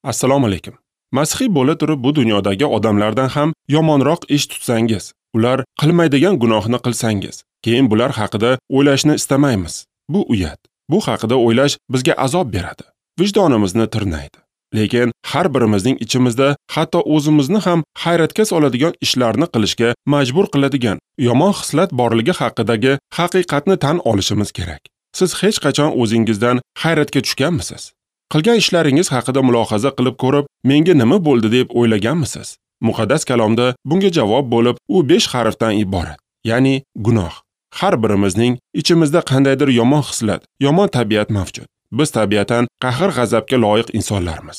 Assalomu alaykum. Masihiy bo'la turib bu dunyodagi odamlardan ham yomonroq ish tutsangiz, ular qilmaydigan gunohni qilsangiz, keyin bular haqida o'ylashni istamaymiz. Bu uyat. Bu haqida o'ylash bizga azob beradi. Vijdonimizni tirnaydi. Lekin har birimizning ichimizda hatto o'zimizni ham hayratga soladigan ishlarni qilishga majbur qiladigan yomon xislat borligi haqidagi haqiqatni tan olishimiz kerak. Siz hech qachon o'zingizdan hayratga tushganmisiz? Qilgan ishlaringiz haqida mulohaza qilib ko'rib, menga nima bo'ldi deb o'ylaganmisiz? Muqaddas kalomda bunga javob bo'lib, u 5 harfdan iborat, ya'ni gunoh. Har birimizning ichimizda qandaydir yomon xislat, yomon tabiat mavjud. Biz tabiatan qahr-g'azabga loyiq insonlarmiz.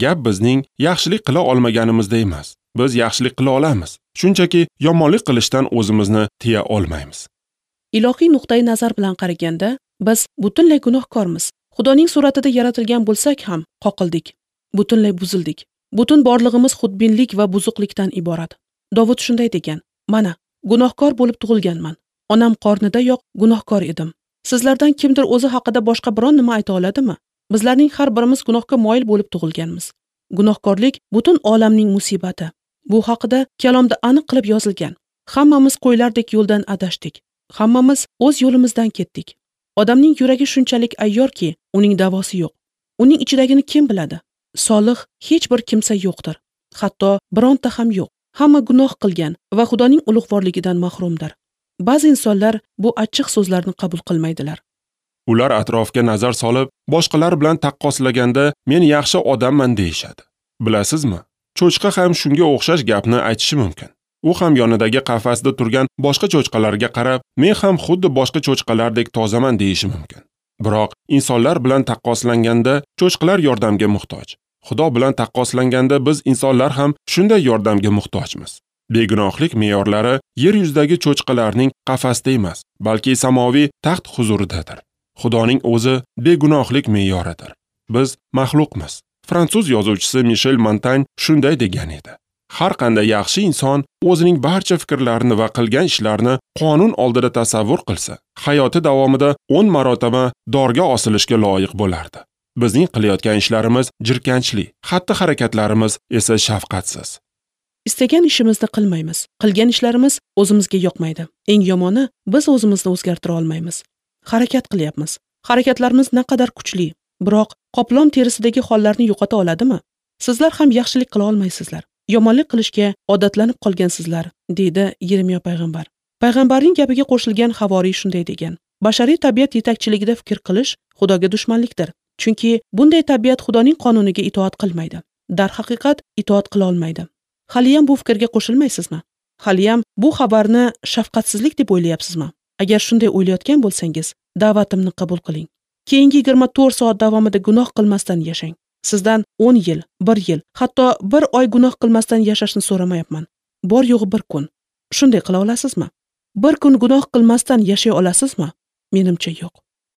Gap bizning yaxshilik qila olmaganimizda emas. Biz yaxshilik qila olamiz. Shunchaki yomonlik qilishdan o'zimizni tiya olmaymiz. Ilohiy nuqtai nazar bilan qaraganda, biz butunlay gunohkormiz. Xudoning suratida yaratilgan bo'lsak ham qoqildik, butunlay buzildik. Butun borlig'imiz xudbinlik va buzuqlikdan iborat. Dovud shunday degan: "Mana, gunohkor bo'lib tug'ilganman. Onam qornidayoq gunohkor edim." Sizlardan kimdir o'zi haqida boshqa biron nima ayta oladimi? Bizlarning har birimiz gunohga moyil bo'lib tug'ilganmiz. Gunohkorlik butun olamning musibati. Bu haqida kalomda aniq qilib yozilgan. Hammamiz qo'ylardek yo'ldan adashdik. Hammamiz o'z yo'limizdan ketdik. Odamning yuragi shunchalik ayyorki, uning davosi yo'q. Uning ichidagini kim biladi? Solih hech bir kimsa yo'qdir. Hatto bironta ham yo'q. Hamma gunoh qilgan va Xudoning ulug'vorligidan mahrumdir. Ba'zi insonlar bu achchiq so'zlarni qabul qilmaydilar. Ular atrofga nazar solib, boshqalar bilan taqqoslaganda men yaxshi odamman deyishadi. Bilasizmi? Cho'chqa ham shunga o'xshash gapni aytishi mumkin. U ham yonidagi qafasda turgan boshqa cho'chqalarga qarab, men ham xuddi boshqa cho'chqalardek tozaman deyishi mumkin. Biroq insonlar bilan taqqoslanganda cho'chqalar yordamga muhtoj. Xudo bilan taqqoslanganda biz insonlar ham shunday yordamga muhtojmiz. Begunohlik me'yorlari yer yuzidagi cho'chqalarning qafasida emas, balki samoviy taxt huzuridadir. Xudoning o'zi begunohlik me'yoridir. Biz maxluqmiz. Fransuz yozuvchisi Mishel Montan shunday degan edi: har qanday yaxshi inson o'zining barcha fikrlarini va qilgan ishlarini qonun oldida tasavvur qilsa, hayoti davomida 10 marotaba dorga osilishga loyiq bo'lardi. Bizning qilayotgan ishlarimiz jirkanchli, xatti-harakatlarimiz esa shafqatsiz. Istagan ishimizni qilmaymiz. Qilgan ishlarimiz o'zimizga yoqmaydi. Eng yomoni, biz o'zimizni o'zgartira olmaymiz. Harakat qilyapmiz. Harakatlarimiz naqadar kuchli, biroq qoplon terisidagi hollarni yo'qota oladimi? Sizlar ham yaxshilik qila olmaysizlar. Yomonlik qilishga odatlanib qolgansizlar, deydi Yeremiya payg'ambar. Payg'ambarning gapiga qo'shilgan havoriy shunday degan: bashariy tabiat yetakchiligida fikr qilish Xudoga dushmanlikdir. Chunki bunday tabiat Xudoning qonuniga itoat qilmaydi. Darhaqiqat itoat qila olmaydi. Haliyam bu fikrga qo'shilmaysizmi? Haliyam bu xabarni shafqatsizlik deb o'ylayapsizmi? Agar shunday o'ylayotgan bo'lsangiz, da'vatimni qabul qiling. Keyingi 24 soat davomida gunoh qilmasdan yashang. Sizdan 10 yil, 1 yil, hatto 1 oy gunoh qilmasdan yashashni so'ramayapman. Bor yo'g'i bir kun. Shunday qila olasizmi? Bir kun gunoh qilmasdan yashay olasizmi? Menimcha yo'q.